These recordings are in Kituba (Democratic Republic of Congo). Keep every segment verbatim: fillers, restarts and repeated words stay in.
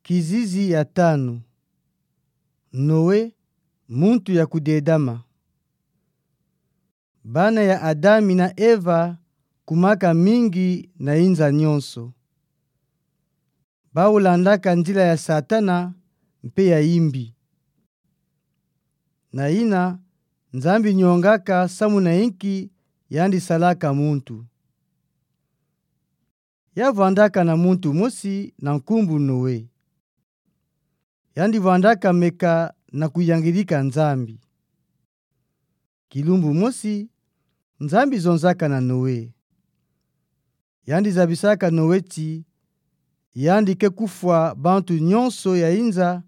Kizizi ya tanu. Noe, muntu ya kudedama. Bana ya Adami na Eva kumaka mingi na inza nyonso. Bawu landaka nzila ya Satana mpe ya imbi. Na ina, Nzambi nyongaka samu na inki yandi salaka muntu. Ya vwandaka na muntu mosi na nkumbu Noe. Yandi vwandaka meka na kuyangidika Nzambi. Kilumbu mosi, Nzambi zonzaka na Noe. Yandi zabisaka Noe ti yandi ke kufwa bantu nyonso ya inza,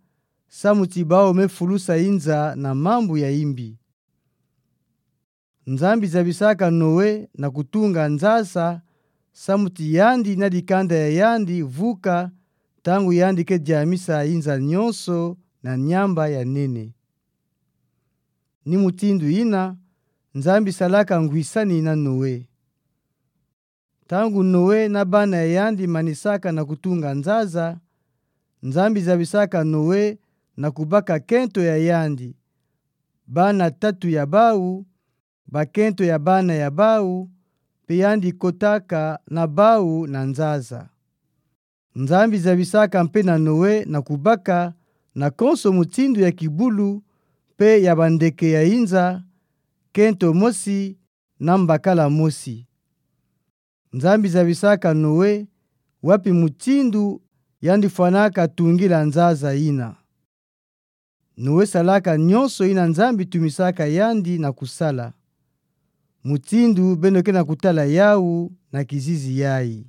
samu ti bawu me fulusa inza na mambu ya imbi. Nzambi zabisaka Noe na kutunga nzasa, samu ti yandi na dikanda ya yandi vuka, ntangu yandi ke diamisa inza nyonso na nyamba ya nene. Ni mutindu ina, Nzambi salaka ngwisani na Noe. Ntangu Noe na bana ya yandi manisaka na kutunga nzasa, Nzambi zabisaka Noe na kubaka kento ya yandi, bana tatu ya bawu, bakento ya bana ya bawu, mpe yandi kotaka na bawu na nzasa. Nzambi zabisaka mpe na Noe na kubaka na konso mutindu ya kibulu mpe ya bandeke ya inza, kento mosi na mbakala mosi. Nzambi zabisaka Noe wapi mutindu yandi fwanaka tungila nzasa ina. Noe salaka nyonso ina Nzambi tumisaka yandi na kusala. Mutindu beno ke na kutala yawu na kizizi yayi.